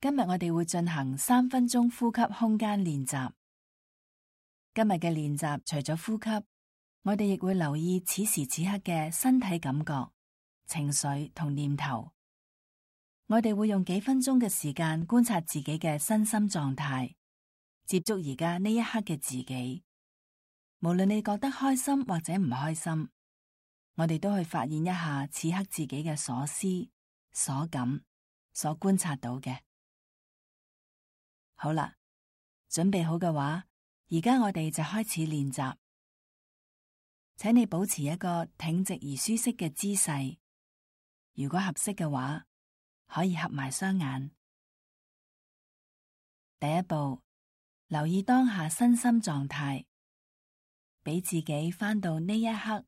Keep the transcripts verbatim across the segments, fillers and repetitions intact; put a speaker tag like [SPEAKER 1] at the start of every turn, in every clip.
[SPEAKER 1] 今日我哋會進行三分鐘呼吸空間練習。今日嘅練習除咗呼吸，我哋亦會留意此時此刻嘅身體感覺、情緒同念頭。我哋會用幾分鐘嘅時間觀察自己嘅身心狀態，接觸而家呢一刻嘅自己。無論你覺得開心或者唔開心，我哋都去發現一下此刻自己嘅所思、所感、所觀察到嘅。好啦，準備好嘅話，而家我哋就開始練習。請你保持一個挺直而舒適嘅姿勢，如果合適嘅話，可以合埋雙眼。第一步，留意當下身心狀態，俾自己返到呢一刻，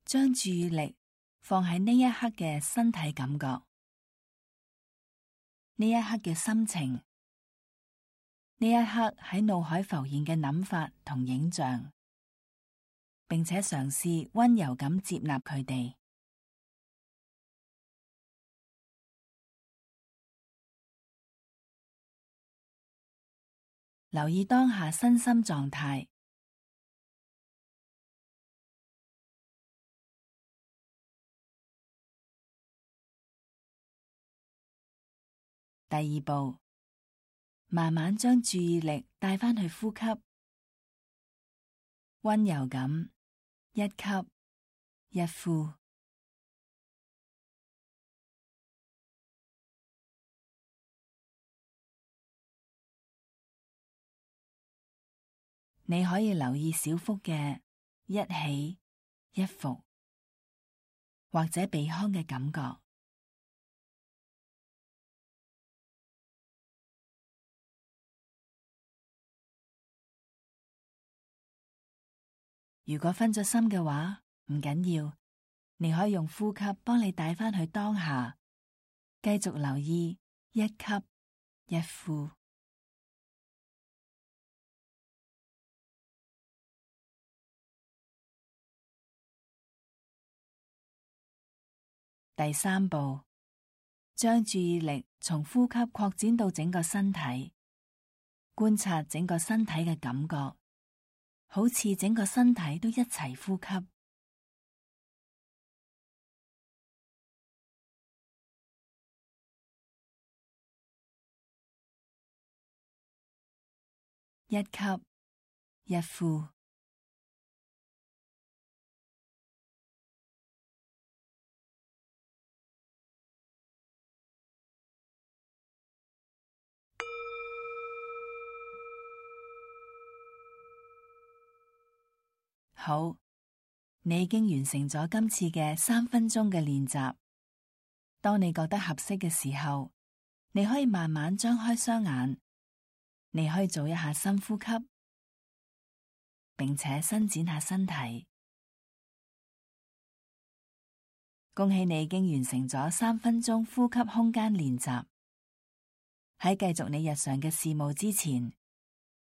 [SPEAKER 1] 將注意力放喺呢一刻嘅身體感覺，呢一刻嘅心情，呢一刻喺腦海浮現嘅諗法同影像，並且嘗試溫柔咁接納佢哋。留意當下身心狀態。第二步，慢慢將注意力帶返去呼吸，溫柔咁一吸一呼。你可以留意小腹嘅一起一伏，或者鼻腔嘅感覺。如果分咗心嘅話，唔緊要，你可以用呼吸幫你帶返去當下，繼續留意一吸一呼。第三步，將注意力從呼吸擴展到整個身體，觀察整個身體嘅感覺，好似整個身體都一齊呼吸。一吸一呼。好，你已經完成咗今次嘅三分鐘嘅練習。當你覺得合適嘅時候，你可以慢慢張開雙眼，你可以做一下深呼吸，並且伸展下身體。恭喜你已經完成咗三分鐘呼吸空間練習。喺繼續你日常嘅事務之前，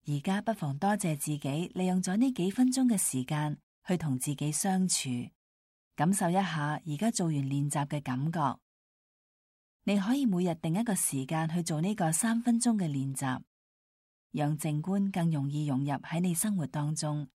[SPEAKER 1] 而家不妨多謝自己利用咗呢幾分鐘嘅時間去同自己相處，感受一下而家做完練習嘅感覺。你可以每日定一個時間去做呢個三分鐘嘅練習，讓靜觀更容易融入喺你生活當中。